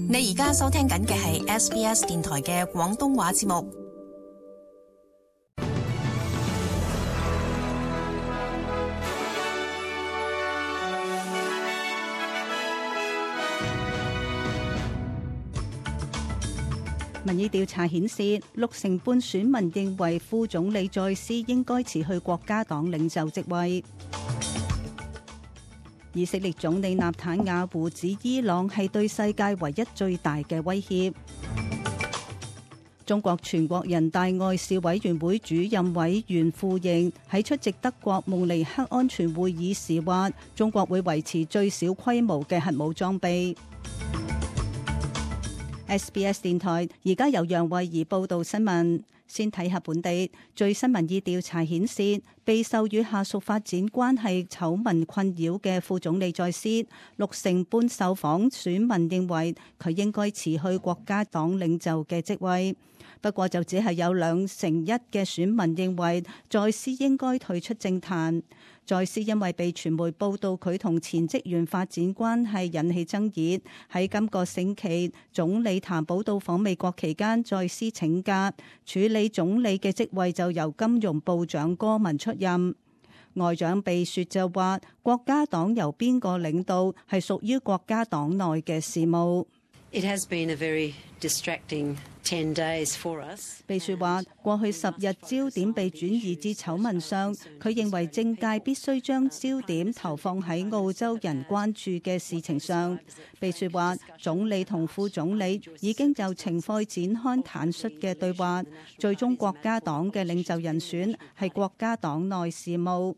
你而家收聽緊嘅係 SBS 電台嘅廣東話節目。民意調查顯示，60%選民認為副總理再斯應該辭去國家黨領袖職位。以色列總理納坦雅胡指伊朗係對世界唯一最大嘅威脅。中國全國人大外事委員會主任委員傅瑩喺出席德國慕尼黑安全會議時話，中國會維持最小規模嘅核武裝備。SBS 電台而家由楊慧儀報道新聞。先睇下本地最新民意調查顯示，備受與下屬發展關係醜聞困擾嘅副總理再斯，60%半受訪選民認為佢應該辭去國家黨領袖嘅職位。不過就只係有2%嘅選民認為再斯應該退出政壇。再斯因為被傳媒報道佢同前職員發展關係引起爭議，喺今個星期總理譚寶到訪美國期間，再斯請假，處理總理嘅職位就由金融部長戈文出任。外長秘書就話，國家黨由邊個領導係屬於國家黨內嘅事務。It has been a very distracting 10 days for us. 秘書話，過去10日焦點被轉移至醜聞上，佢認為政界必須將焦點投放喺澳洲人關注嘅事情上。秘書話，總理同副總理已經就情況展開坦率嘅對話，最終國家黨嘅領袖人選係國家黨內事務。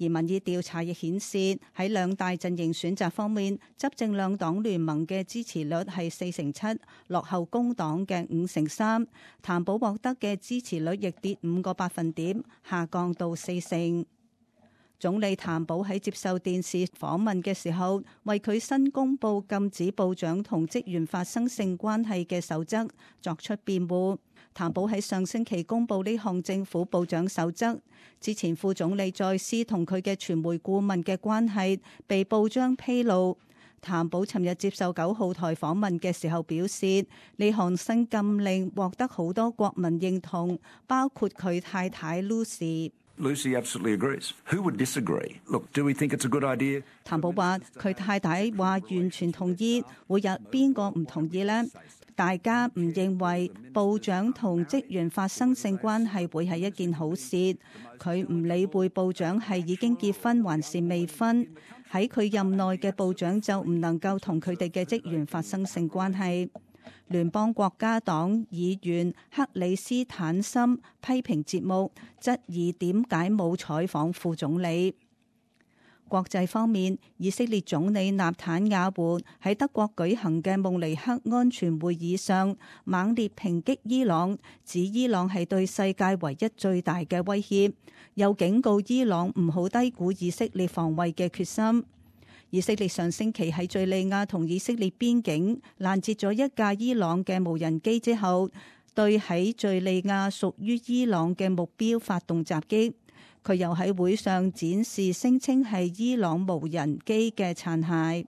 而民意調查亦顯示，喺兩大陣營選擇方面，執政兩黨聯盟嘅支持率係47%，落後工黨嘅53%。譚寶獲得嘅支持率亦跌5個百分點，下降到40%。總理譚寶喺接受電視訪問嘅時候，為佢新公布禁止部長同職員發生性關係嘅守則作出辯護。譚寶喺上星期公布呢項政府部長守則之前，副總理再斯同佢嘅傳媒顧問嘅關係被報章披露。譚寶尋日接受9號台訪問嘅時候表示，呢項新禁令獲得好多國民認同，包括佢太太 Lucy。Lucy absolutely agrees. Who would disagree? Look, do we think it's a good idea? 譚寶話佢太太話完全同意，會有邊個唔同意呢？大家唔認為部長同職員發生性關係會係一件好事。佢唔理會部長係已經結婚還是未婚，喺佢任內嘅部長就唔能夠同佢哋嘅職員發生性關係。聯邦國家黨議員克里斯坦森批評節目，質疑點解冇採訪副總理。國際方面，以色列總理納坦雅胡喺德國舉行嘅慕尼黑安全會議上，猛烈抨擊伊朗，指伊朗係對世界唯一最大嘅威脅，又警告伊朗唔好低估以色列防衛嘅決心。以色列上星期喺敘利亞同以色列邊境攔截咗一架伊朗嘅無人機之後，對喺敘利亞屬於伊朗嘅目標發動襲擊。佢又喺會上展示聲稱係伊朗無人機嘅殘骸。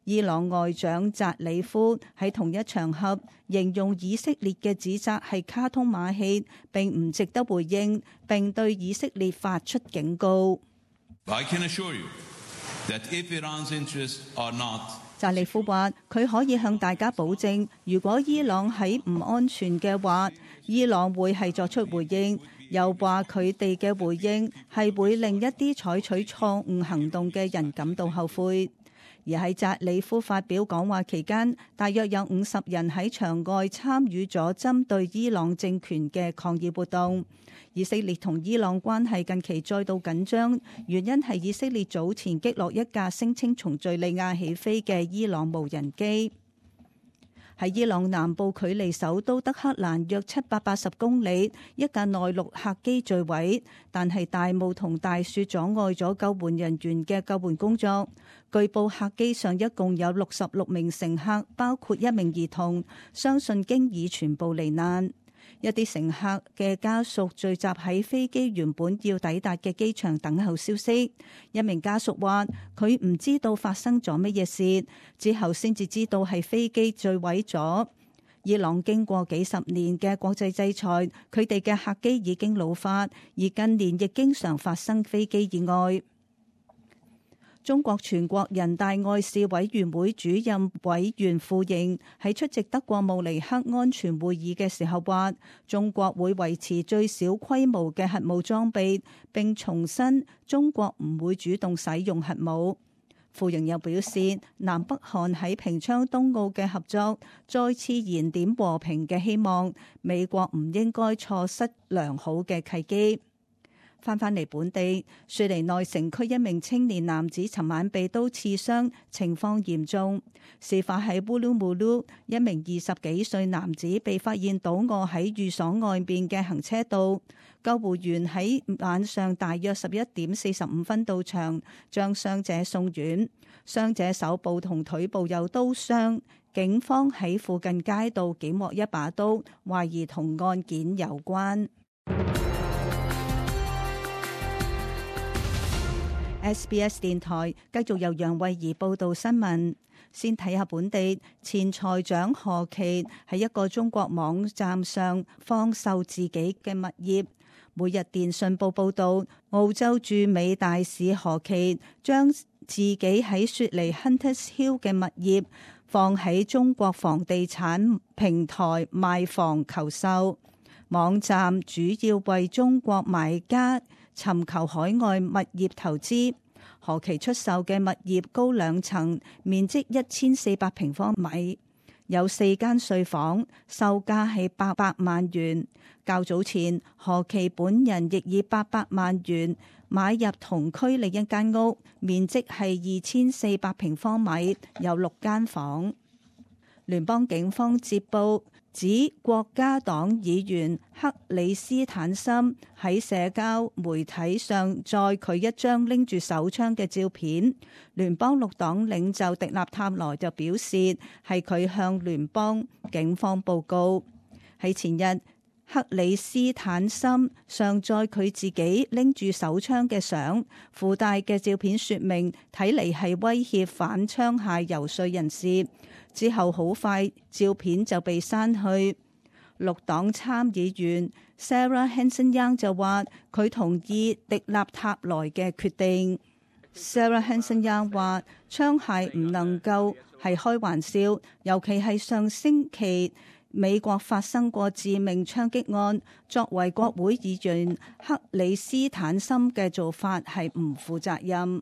伊朗外長扎里夫喺同一場合形容以色列嘅指責係卡通馬戲，並唔值得回應，並對以色列發出警告。I can assure you that if Iran's interests are not，扎里夫話佢可以向大家保證，如果伊朗喺唔安全嘅話，伊朗會係作出回應。又話佢哋嘅回應係會令一啲採取錯誤行動嘅人感到後悔。而喺扎里夫發表講話期間，大約有50人喺場外參與咗針對伊朗政權嘅抗議活動。以色列同伊朗關係近期再度緊張，原因係以色列早前擊落一架聲稱從敘利亞起飛嘅伊朗無人機。喺伊朗南部距離首都德黑蘭約780公里，一架內陸客機墜毀，但係大霧同大雪阻礙咗救援人員嘅救援工作。據報客機上一共有66名乘客，包括1名兒童，相信經已全部罹難。一啲乘客嘅家屬聚集喺飛機原本要抵達嘅機場等候消息。一名家屬話：佢唔知道發生咗乜嘢事，之後先至知道係飛機墜毀咗。伊朗經過幾十年嘅國際制裁，佢哋嘅客機已經老化，而近年亦經常發生飛機意外。中國全國人大外事委員會主任委員傅瑩喺出席德國慕尼黑安全會議嘅時候話，中國會維持最小規模嘅核武裝備，並重申中國唔會主動使用核武。傅瑩又表示，南北韓喺平昌冬奧嘅合作再次燃點和平嘅希望，美國唔應該錯失良好嘅契機。翻嚟本地，雪梨內城區一名青年男子尋晚被刀刺傷，情況嚴重。事發喺烏魯木魯，一名20幾歲男子被發現倒臥喺寓所外邊嘅行車道。救護員喺晚上大約11點45分到場，將傷者送院。傷者手部同腿部有刀傷，警方喺附近街道檢獲一把刀，懷疑同案件有關。SBS 電台繼續由楊慧儀報道新聞。先睇下本地前財長何琪喺一個中國網站上放售自己嘅物業。每日電訊報報道，澳洲駐美大使何琪將自己喺雪梨 Hunters Hill 嘅物業放喺中國房地產平台賣房求售。網站主要為中國買家尋求海外物業投資。何琪出售嘅物業高2層，面積1400平方米，有4間睡房，售價係800萬元。較早前，何琪本人亦以800萬元買入同區另一間屋，面積係2400平方米，有6間房。聯邦警方接報指國家黨議員克里斯坦森喺社交媒體上載佢一張拎住手槍嘅照片。聯邦綠黨領袖迪納塔羅就表示係佢向聯邦警方報告。喺前日，克里斯坦森上載佢自己拎住手槍嘅相，附帶嘅照片說明睇嚟係威脅反槍械遊說人士。之後好快照片就被刪去。綠黨參議員 Sarah Hanson-Young 就話佢同意迪納塔萊嘅決定。Sarah Hanson-Young 話槍械唔能夠係開玩笑，尤其係上星期美國發生過致命槍擊案，作為國會議員克里斯坦森嘅做法係唔負責任。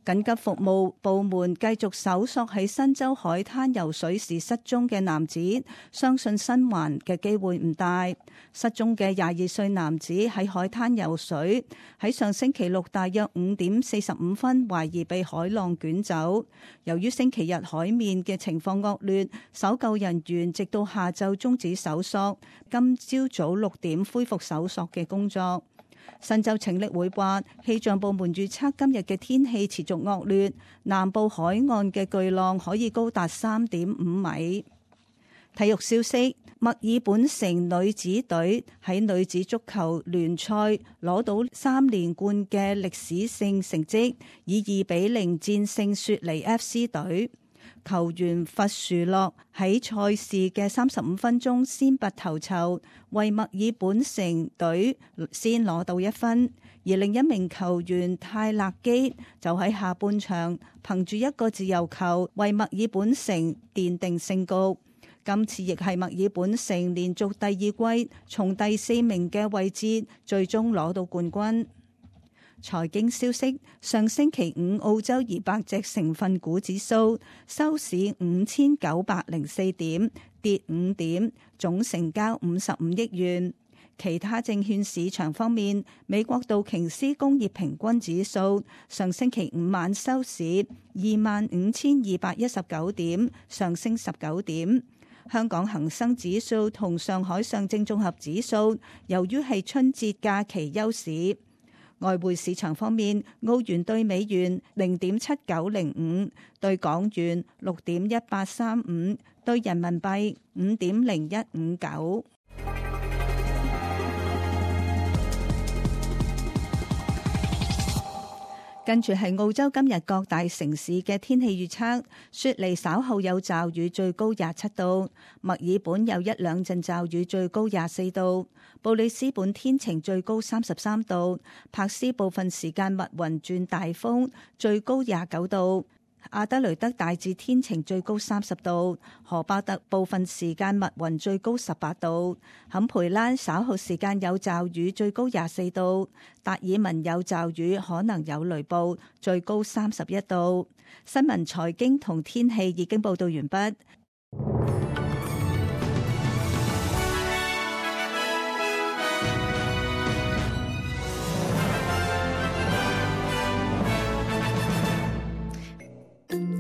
緊急服務部門繼續搜索喺新州海灘游水時失蹤嘅男子，相信生還嘅機會唔大。失蹤嘅22歲男子喺海灘游水，喺上星期六大約5點45分，懷疑被海浪捲走。由於星期日海面嘅情況惡劣，搜救人員直到下晝終止搜索，今朝早6點恢復搜索嘅工作。新州拯溺會話，氣象部門預測今日嘅天氣持續惡劣，南部海岸嘅巨浪可以高達3.5米。體育消息，墨爾本城女子隊喺女子足球聯賽攞到3連冠嘅歷史性成績，以2-0戰勝雪梨 FC 隊。球員弗殊諾喺賽事嘅35分鐘先拔頭籌，為墨爾本城隊先攞到1分，而另一名球員泰勒基就喺下半場憑住一個自由球為墨爾本城奠定勝局。今次亦係墨爾本城連續第2季從第4名嘅位置最終攞到冠軍。財經消息，上星期五澳洲200隻成分股指數收市5904點，跌5點，總成交55億元。其他證券市場方面，美國道瓊斯工業平均指數上星期五晚收市25,219點，上升19點。香港恒生指數同上海上證綜合指數由於係春節假期休市。外匯市場方面，澳元對美元0.7905，對港元6.1835，對人民幣5.0159。跟住係澳洲今日各大城市嘅天氣預測：雪梨稍後有驟雨，最高27度；墨爾本有一兩陣驟雨，最高24度；布里斯本天晴，最高33度；柏斯部分時間密雲轉大風，最高29度；阿德雷德大致天晴，最高30度；荷巴特部分時間密雲，最高18度；坎培拉稍後時間有驟雨，最高24度；達爾文有驟雨，可能有雷暴，最高31度。新聞、財經同天氣已經報道完畢。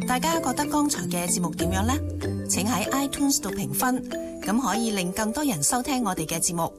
大家覺得剛才嘅節目點樣呢？請喺 iTunes 度評分，咁可以令更多人收聽我哋嘅節目。